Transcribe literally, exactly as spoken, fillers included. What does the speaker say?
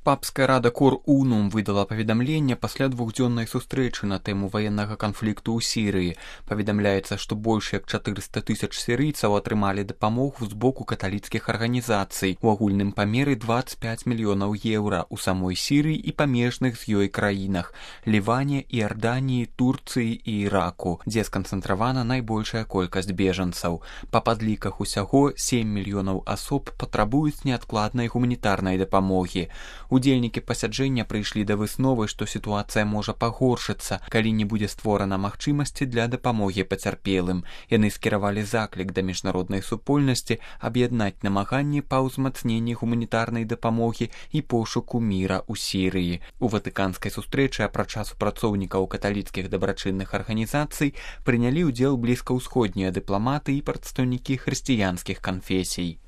Папская рада Кор Унум выдала паведамленне пасля двухдзённай сустрэчы на тэму ваеннага канфлікту ў Сірыі. Паведамляецца, што больш як чатырыста тысяч сірыйцаў атрымалі дапамогу з боку каталіцкіх арганізацый у агульным памеры дваццаць пяць мільёнаў еўра ў самой Сірыі і памежных з ёй краінах – Ліване, Іорданіі, Турцыі і Іраку, дзе сканцэнтравана найбольшая колькасць бежанцаў. Па падліках усяго сем мільёнаў асоб патрабуюць неадкладнай гуманітарнай дапамогі. Удзельнікі пасяджэння прыйшлі да высновы, што сітуацыя можа пагоршыцца, калі не будзе створана магчымасці для дапамогі пацярпелым. Яны скіравалі заклік да міжнароднай супольнасці аб'яднаць намаганні па ўзмацненні гуманітарнай дапамогі і пошуку міра ў Сірыі. У ватыканскай сустрэчы апрача супрацоўнікаў каталіцкіх дабрачынных арганізацый прынялі ўдзел блізкаўсходнія дыпламаты і прадстаўнікі хрысціянскіх канфесій.